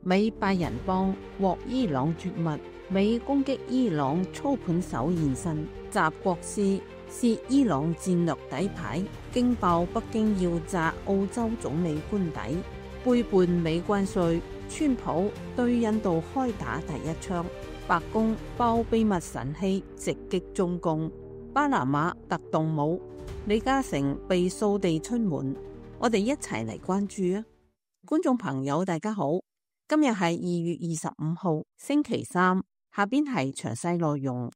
美拜仁邦獲伊朗絕密，美攻擊伊朗操盤手現身，習國師涉伊朗戰略底牌，驚爆北京要砸澳洲總理官邸，背叛美關稅，川普對印度開打第一槍，白宮爆秘密神器直擊中共，巴拿馬特動武，李嘉誠被掃地出門，我哋一齊嚟關注啊！觀眾朋友大家好，今日係2月25號星期三，下邊係詳細內容。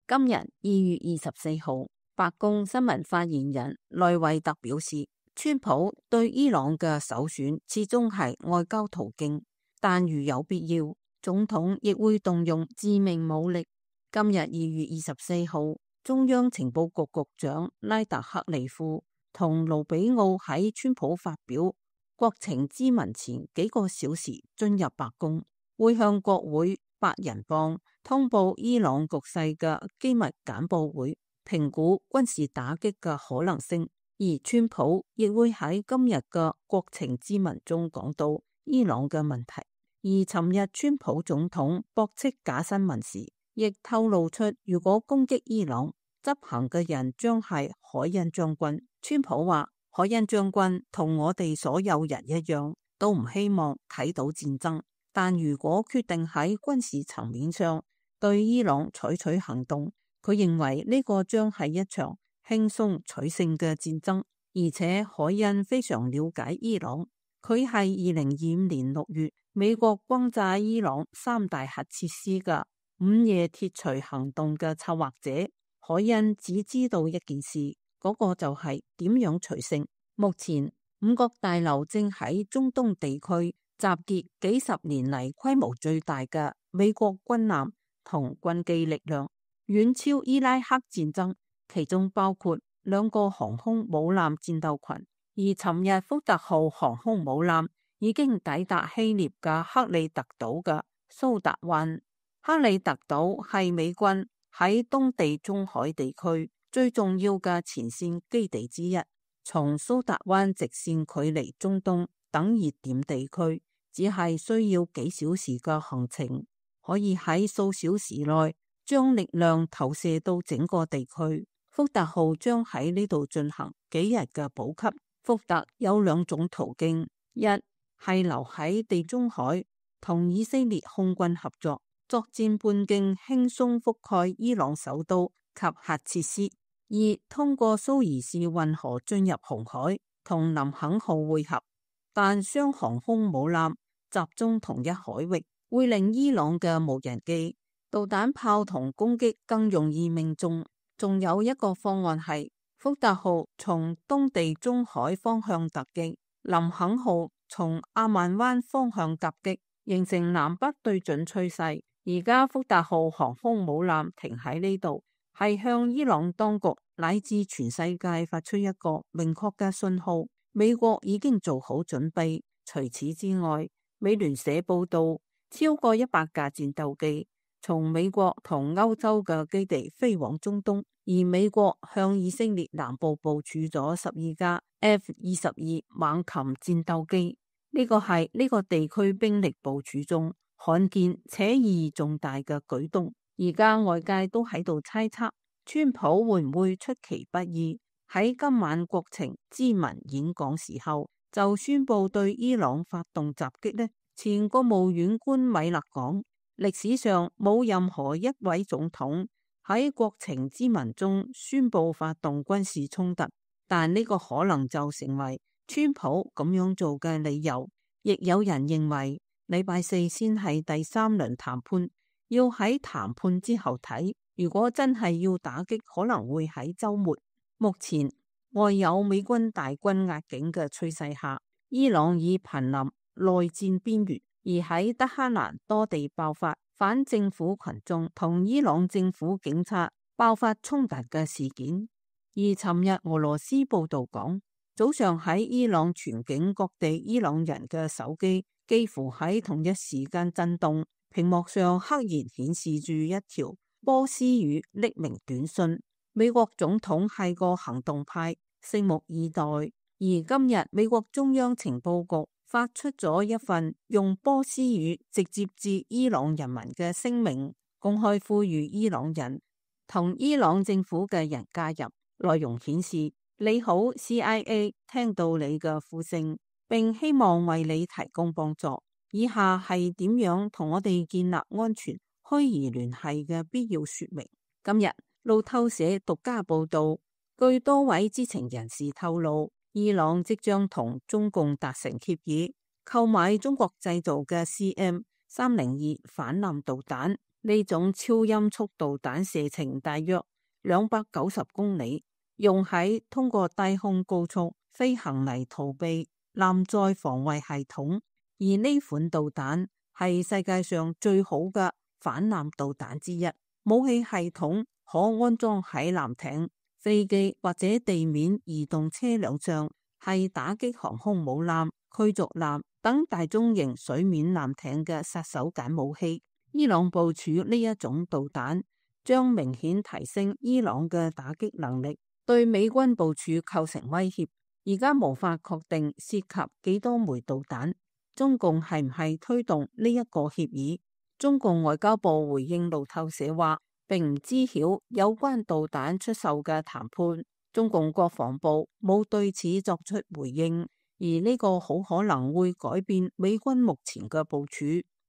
今日2月24號，白宮新聞發言人內維特表示，川普對伊朗嘅首選始終係外交途徑，但如有必要，總統亦會動用致命武力。今日2月24號，中央情報局局長拉達克利夫同盧比奧喺川普發表國情咨文前幾個小時進入白宮，會向國會八人幫通報伊朗局勢嘅機密簡報會，評估軍事打擊嘅可能性。而川普亦會喺今日嘅國情咨文中講到伊朗嘅問題。而尋日川普總統駁斥假新聞時，亦透露出如果攻擊伊朗，執行嘅人將係海恩將軍。川普話，海恩將軍同我哋所有人一樣，都唔希望睇到戰爭，但如果決定喺軍事層面上對伊朗採取行動，佢認為呢個將係一場輕鬆取勝嘅戰爭。而且海恩非常了解伊朗，佢係2025年6月美國轟炸伊朗3大核設施嘅午夜鐵錘行動嘅策劃者。海恩只知道一件事，嗰個就係點樣取勝。目前五角大樓正喺中東地區集結幾十年嚟規模最大嘅美國軍艦同軍機力量，遠超伊拉克戰爭，其中包括2個航空母艦戰鬥群。而尋日福特號航空母艦已經抵達希臘嘅克里特島嘅蘇達灣。克里特島係美軍喺東地中海地區最重要嘅前線基地之一，從蘇達灣直線距離中東等熱點地區，只係需要幾小時嘅行程，可以喺數小時內將力量投射到整個地區。福特號將喺呢度進行幾日嘅補給。福特有2種途徑，一係留喺地中海同以色列空軍合作，作戰半徑輕鬆覆蓋伊朗首都及核設施；二通過蘇伊士運河進入紅海同林肯號會合。但雙航空母艦集中同一海域，會令伊朗嘅無人機、導彈炮同攻擊更容易命中。仲有一個方案係福特號從東地中海方向突擊，林肯號從阿曼灣方向夾擊，形成南北對準趨勢。而家福特號航空母艦停喺呢度，係向伊朗當局乃至全世界發出一個明確嘅信號，美國已經做好準備。除此之外，美聯社報道，超過100架戰鬥機從美國同歐洲嘅基地飛往中東，而美國向以色列南部部署咗12架 F-22猛禽戰鬥機，呢個係呢個地區兵力部署中罕見且意義重大嘅舉動。而家外界都喺度猜測，川普會唔會出其不意喺今晚國情咨文演講時候就宣布對伊朗發動襲擊呢？前國務院官米勒講，歷史上冇任何一位總統喺國情咨文中宣布發動軍事衝突，但呢個可能就成為川普咁樣做嘅理由。亦有人認為禮拜四先係第3輪談判，要喺談判之後睇，如果真係要打擊，可能會喺週末。目前外有美軍大軍壓境嘅趨勢下，伊朗已瀕臨內戰邊緣，而喺德黑蘭多地爆發反政府群眾同伊朗政府警察爆發衝突嘅事件。而尋日俄羅斯報道講，早上喺伊朗全境各地伊朗人嘅手機幾乎喺同一時間震動，屏幕上赫然顯示住一條波斯語匿名短信。美國總統係個行動派，拭目以待。而今日美國中央情報局發出咗一份用波斯語直接致伊朗人民嘅聲明，公開呼籲伊朗人同伊朗政府嘅人加入。內容顯示：你好 CIA， 聽到你嘅呼聲，並希望為你提供幫助。以下係點樣同我哋建立安全虛擬聯繫嘅必要說明。今日路透社獨家報道，據多位知情人士透露，伊朗即將同中共達成協議，購買中國製造嘅 CM302反艦導彈。呢種超音速導彈射程大約290公里，用喺通過低空高速飛行嚟逃避艦載防衛系統。而呢款導彈係世界上最好嘅反艦導彈之一，武器系統可安裝喺艦艇、飛機或者地面移動車輛上，係打擊航空母艦、驅逐艦等大中型水面艦艇嘅殺手鐧武器。伊朗部署呢一種導彈，將明顯提升伊朗嘅打擊能力，對美軍部署構成威脅。而家無法確定涉及幾多枚導彈。中共係唔係推動呢一個協議？中共外交部回應路透社話，並唔知曉有關導彈出售嘅談判。中共國防部冇對此作出回應，而呢個好可能會改變美軍目前嘅部署。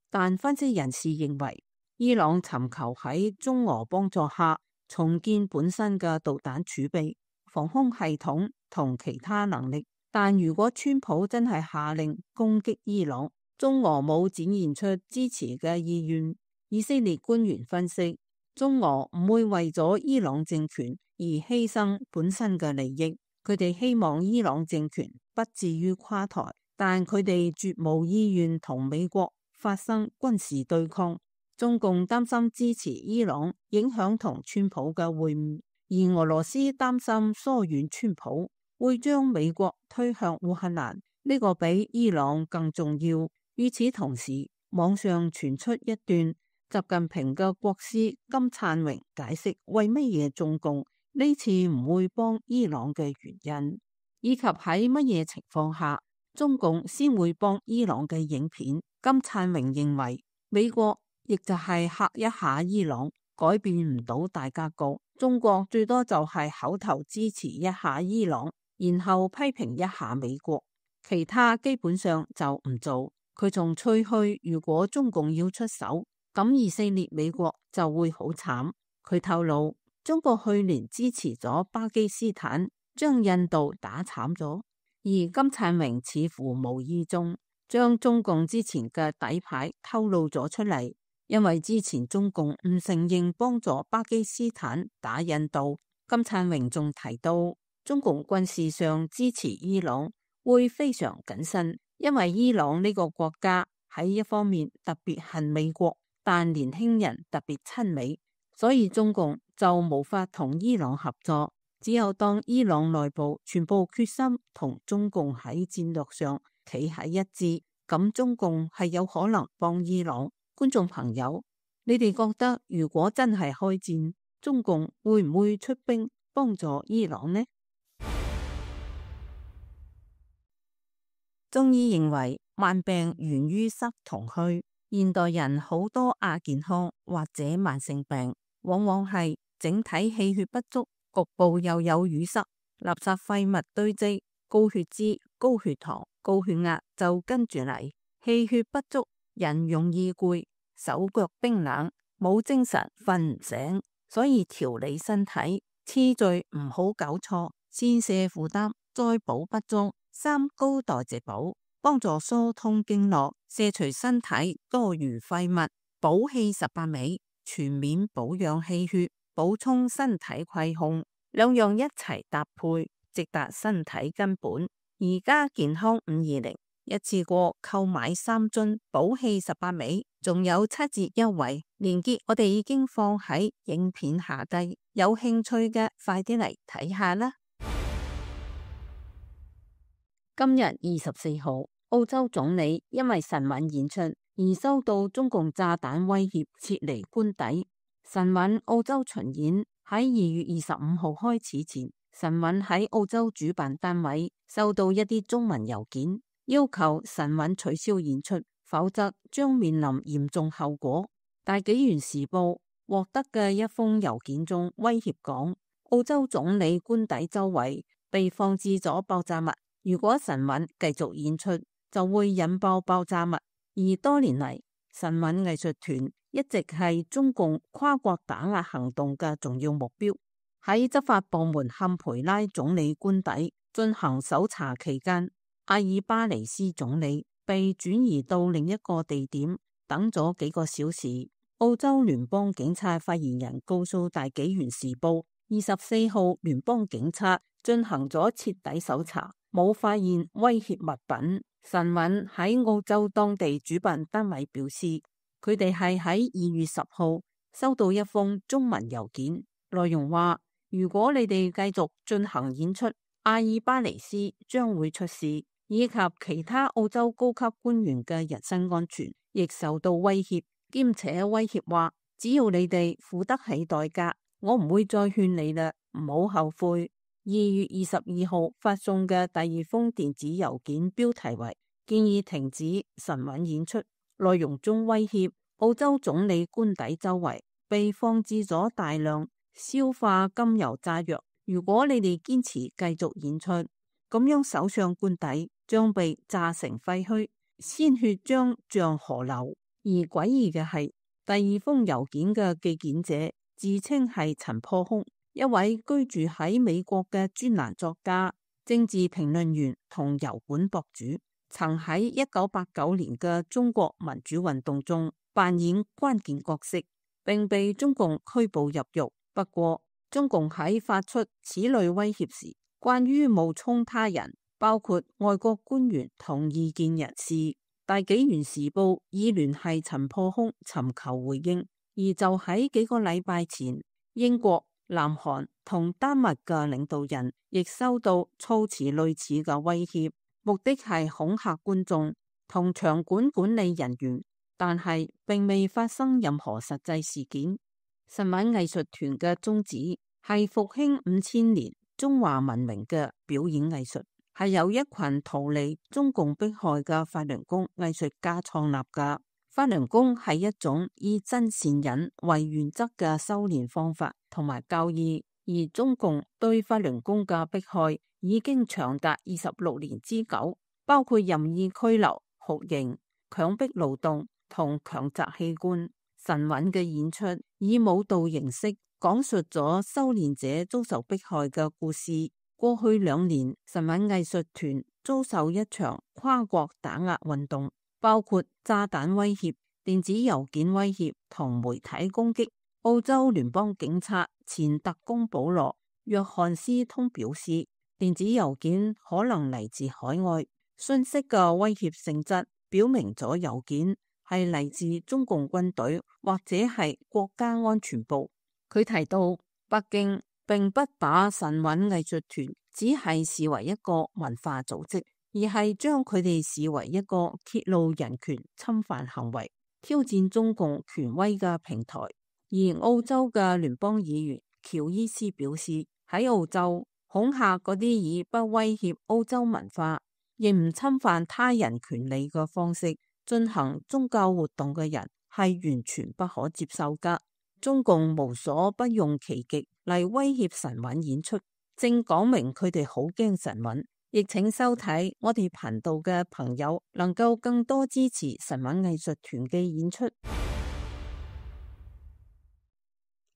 但分析人士認為，伊朗尋求喺中俄幫助下重建本身嘅導彈儲備、防空系統同其他能力。但如果川普真係下令攻擊伊朗，中俄冇展現出支持嘅意願。以色列官員分析，中俄唔會為咗伊朗政權而犧牲本身嘅利益，佢哋希望伊朗政權不至於垮台，但佢哋絕無意願同美國發生軍事對抗。中共擔心支持伊朗影響同川普嘅會晤，而俄羅斯擔心疏遠川普會將美國推向烏克蘭，呢個比伊朗更重要。與此同時，網上傳出一段習近平嘅國師金燦榮解釋為乜嘢中共呢次唔會幫伊朗嘅原因，以及喺乜嘢情況下中共先會幫伊朗嘅影片。金燦榮認為，美國亦就係嚇一下伊朗，改變唔到大格局。中國最多就係口頭支持一下伊朗，然後批評一下美國，其他基本上就唔做。佢仲吹噓，如果中共要出手，咁以色列美國就會好慘。佢透露，中國去年支持咗巴基斯坦，將印度打慘咗。而金燦榮似乎無意中將中共之前嘅底牌透露咗出嚟，因為之前中共唔承認幫助巴基斯坦打印度。金燦榮仲提到，中共軍事上支持伊朗會非常謹慎，因為伊朗呢個國家喺一方面特別恨美國，但年輕人特別親美，所以中共就無法同伊朗合作。只有當伊朗內部全部決心同中共喺戰略上企喺一致，咁中共係有可能幫伊朗。觀眾朋友，你哋覺得如果真係開戰，中共會唔會出兵幫助伊朗呢？中醫認為，慢病源於濕同虛。現代人好多亞健康或者慢性病，往往係整體氣血不足，局部又有淤塞，垃圾廢物堆積，高血脂、高血糖、高血壓就跟住嚟。氣血不足，人容易攰，手腳冰冷，冇精神，瞓唔醒。所以調理身體次序唔好搞錯，先瀉負擔，再補不足。三高代謝補，幫助疏通經絡，卸除身體多餘廢物，補氣18味，全面保養氣血，補充身體虧空，兩樣一齊搭配，直達身體根本。而家健康520一次過購買3樽補氣18味，仲有7折優惠，鏈接我哋已經放喺影片下低，有興趣嘅快啲嚟睇下啦。今日24號，澳洲總理因為神韻演出而收到中共炸彈威脅，撤離官邸。神韻澳洲巡演喺2月25號開始前，神韻喺澳洲主辦單位收到一啲中文郵件，要求神韻取消演出，否則將面臨嚴重後果。大紀元時報獲得嘅一封郵件中威脅講，澳洲總理官邸周圍被放置咗爆炸物，如果神韻繼續演出，就會引爆爆炸物。而多年嚟，神韻藝術團一直係中共跨國打壓行動嘅重要目標。喺執法部門坎培拉總理官邸進行搜查期間，阿爾巴尼斯總理被轉移到另一個地點等咗幾個小時。澳洲聯邦警察發言人告訴大紀元時報，24號聯邦警察進行咗徹底搜查，冇發現威脅物品。神韻喺澳洲當地主辦單位表示，佢哋係喺2月10號收到一封中文郵件，內容話，如果你哋繼續進行演出，阿爾巴尼斯將會出事，以及其他澳洲高級官員嘅人身安全亦受到威脅，兼且威脅話，只要你哋付得起代價，我唔會再勸你啦，唔好後悔。2月22號發送嘅第二封電子郵件標題為建議停止神韻演出，內容中威脅澳洲總理官邸周圍被放置咗大量硝化甘油炸藥，如果你哋堅持繼續演出，咁樣首相官邸將被炸成廢墟，鮮血將像河流。而詭異嘅係，第二封郵件嘅寄件者自稱係陳破空，一位居住喺美國嘅專欄作家、政治評論員同油管博主，曾喺1989年嘅中國民主運動中扮演關鍵角色，並被中共拘捕入獄。不過，中共喺發出此類威脅時，關於冒充他人，包括外國官員同異見人士，大紀元時報已聯繫陳破空尋求回應。而就喺幾個禮拜前，英國、南韓同丹麥嘅領導人亦收到措辭類似嘅威脅，目的係恐嚇觀眾同場館管理人員，但係並未發生任何實際事件。神韻藝術團嘅宗旨係復興5000年中華文明嘅表演藝術，係由一群逃離中共迫害嘅法輪功藝術家創立嘅。法輪功係一種以真善忍為原則嘅修煉方法同埋教義，而中共對法輪功嘅迫害已經長達26年之久，包括任意拘留、酷刑、強迫勞動同強摘器官。神韻嘅演出以舞蹈形式講述咗修煉者遭受迫害嘅故事。過去2年，神韻藝術團遭受一場跨國打壓運動，包括炸彈威脅、電子郵件威脅同媒體攻擊。澳洲聯邦警察前特工保羅·約翰斯通表示，電子郵件可能嚟自海外，信息嘅威脅性質表明咗郵件係嚟自中共軍隊或者係國家安全部。佢提到，北京並不把神韻藝術團只係視為一個文化組織，而係將佢哋視為一個揭露人權侵犯行為、挑戰中共權威嘅平台。而澳洲嘅聯邦議員喬伊斯表示，喺澳洲恐嚇嗰啲以不威脅澳洲文化，亦唔侵犯他人權利嘅方式進行宗教活動嘅人係完全不可接受噶。中共無所不用其極嚟威脅神韻演出，正講明佢哋好驚神韻。亦請收睇我哋頻道嘅朋友能夠更多支持神韻藝術團嘅演出。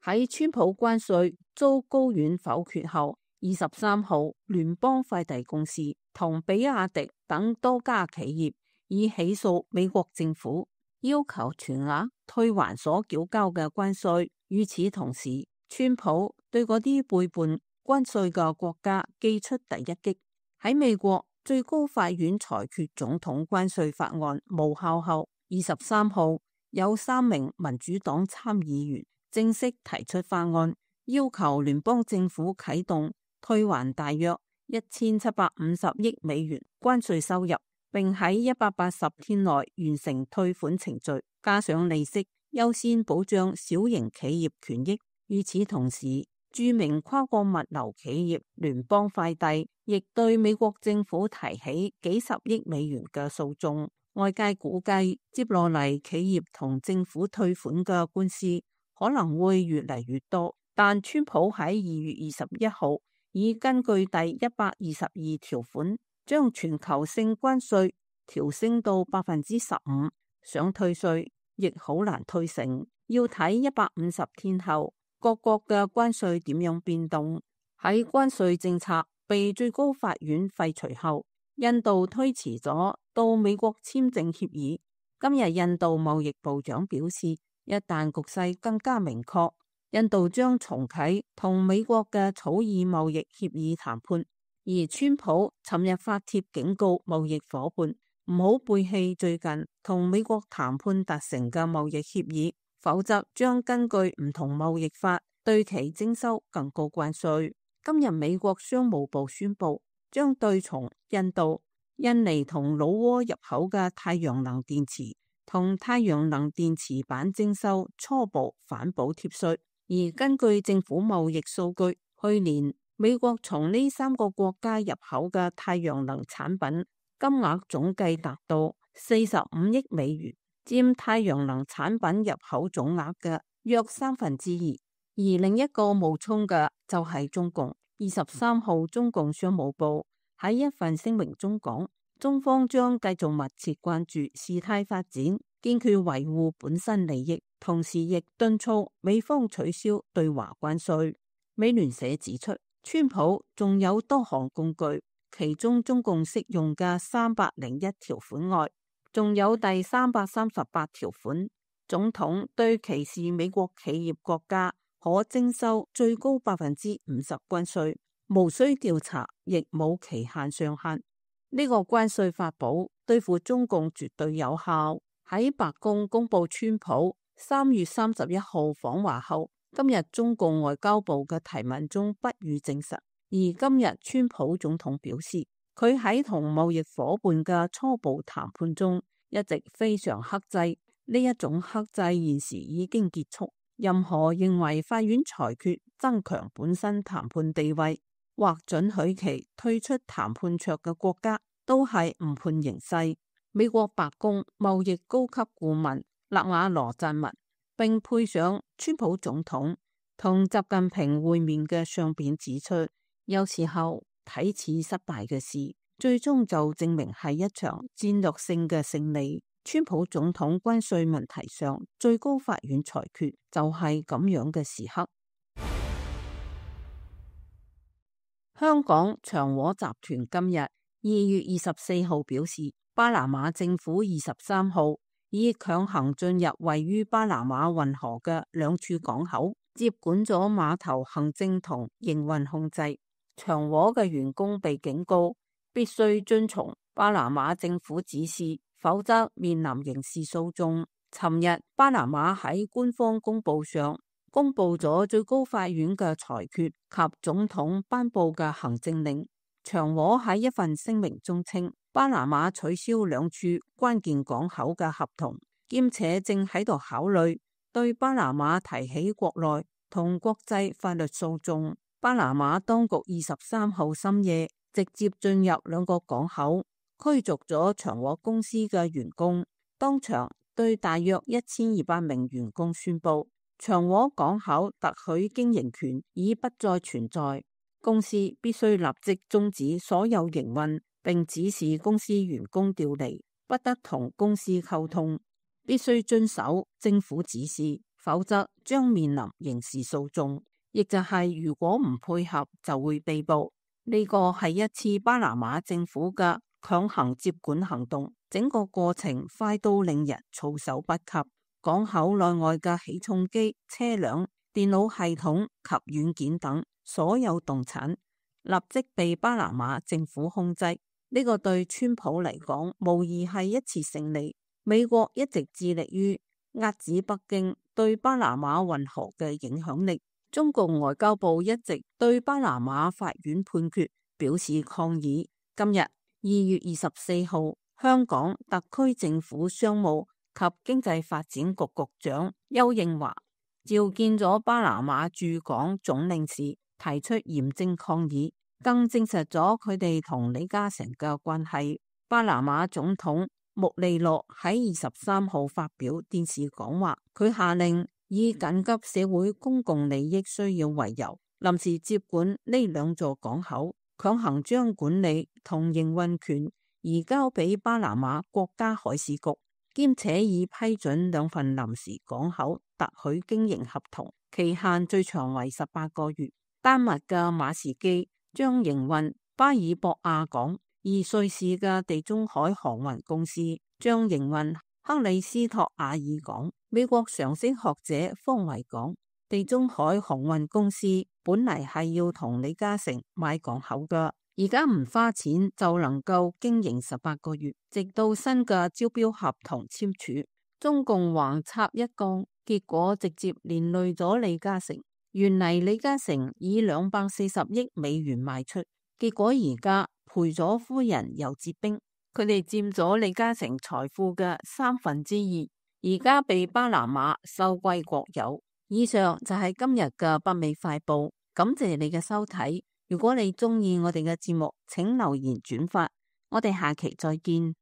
喺川普關稅遭高院否決後，23號聯邦快遞公司同比亞迪等多家企業已起訴美國政府，要求全額退還所繳交嘅關稅。與此同時，川普對嗰啲背叛關稅嘅國家寄出第一擊。喺美國最高法院裁決總統關稅法案無效後，23號有3名民主黨參議員正式提出法案，要求聯邦政府啟動退還大約1750億美元關稅收入，並喺180天內完成退款程序，加上利息，優先保障小型企業權益。與此同時，著名跨國物流企業聯邦快遞亦對美國政府提起幾十億美元嘅訴訟。外界估計，接落嚟企業同政府退款嘅官司可能會越嚟越多。但川普喺2月21號已根據第122條款，將全球性關稅調升到15%，想退稅亦好難退成，要睇150天後各國嘅關稅點樣變動。喺關稅政策被最高法院廢除後，印度推遲咗到美國簽證協議。今日印度貿易部長表示，一旦局勢更加明確，印度將重啟同美國嘅草擬貿易協議談判。而川普尋日發帖警告貿易夥伴唔好背棄最近同美國談判達成嘅貿易協議，否則將根據唔同貿易法對其徵收更高關稅。今日美國商務部宣布，將對從印度、印尼同老撾入口嘅太陽能電池同太陽能電池板徵收初步反補貼稅。而根據政府貿易數據，去年美國從呢3個國家入口嘅太陽能產品金額總計達到45億美元，佔太陽能產品入口總額嘅約2/3。而另一個冒充嘅就係中共。23號，中共商務部喺一份聲明中講，中方將繼續密切關注事態發展，堅決維護本身利益，同時亦敦促美方取消對華關稅。美聯社指出，川普仲有多項工具，其中中共適用嘅301條款外，仲有第338條款，總統對歧視美國企業國家可徵收最高50%關稅，無需調查，亦冇期限上限。呢個關稅法寶對付中共絕對有效。喺白宮公布川普3月31號訪華後，今日中共外交部嘅提問中不予證實。而今日川普總統表示，佢喺同貿易夥伴嘅初步談判中一直非常克制，呢一種克制現時已經結束。任何認為法院裁決增強本身談判地位或准許其退出談判桌嘅國家，都係誤判形勢。美國白宮貿易高級顧問勒瓦羅撰文，並配上川普總統同習近平會面嘅相片，指出有時候睇似失敗嘅事，最終就證明係一場戰略性嘅勝利。川普總統關稅問題上，最高法院裁決就係咁樣嘅時刻。香港長和集團今日2月24號表示，巴拿馬政府23號已強行進入位於巴拿馬運河嘅2處港口，接管咗碼頭行政同營運控制。長和嘅員工被警告必須遵從巴拿馬政府指示，否則面臨刑事訴訟。尋日巴拿馬喺官方公報上公布咗最高法院嘅裁決及總統頒布嘅行政令。長和喺一份聲明中稱，巴拿馬取消2處關鍵港口嘅合同，兼且正喺度考慮對巴拿馬提起國內同國際法律訴訟。巴拿馬當局23號深夜直接進入2個港口，驅逐咗長和公司嘅員工，當場對大約1200名員工宣布，長和港口特許經營權已不再存在，公司必須立即終止所有營運，並指示公司員工調離，不得同公司溝通，必須遵守政府指示，否則將面臨刑事訴訟，亦就係如果唔配合就會被捕。呢個係一次巴拿馬政府嘅強行接管行動，整個過程快到令人措手不及。港口內外嘅起重機、車輛、電腦系統及軟件等所有動產立即被巴拿馬政府控制。呢個對川普嚟講無疑係一次勝利。美國一直致力於遏止北京對巴拿馬運河嘅影響力。中共外交部一直對巴拿馬法院判決表示抗議。今日2月24號，香港特區政府商務及經濟發展局局長丘應樺召見咗巴拿馬駐港總領事，提出嚴正抗議，更證實咗佢哋同李嘉誠嘅關係。巴拿馬總統穆利諾喺23號發表電視講話，佢下令以緊急社會公共利益需要為由，臨時接管呢兩座港口，強行將管理同營運權移交俾巴拿馬國家海事局，兼且已批准兩份臨時港口特許經營合同，期限最長為18個月。丹麥嘅馬士基將營運巴爾博亞港，而瑞士嘅地中海航運公司將營運克里斯托亞爾港。美國常識學者方維講，地中海航運公司本嚟係要同李嘉誠買港口㗎，而家唔花錢就能夠經營18個月，直到新嘅招標合同簽署。中共橫插一槓，結果直接連累咗李嘉誠。原嚟李嘉誠以240億美元賣出，結果而家賠咗夫人又折兵，佢哋佔咗李嘉誠財富嘅2/3，而家被巴拿馬收歸國有。以上就係今日嘅北美快報，感謝你嘅收睇。如果你中意我哋嘅節目，請留言轉發，我哋下期再見。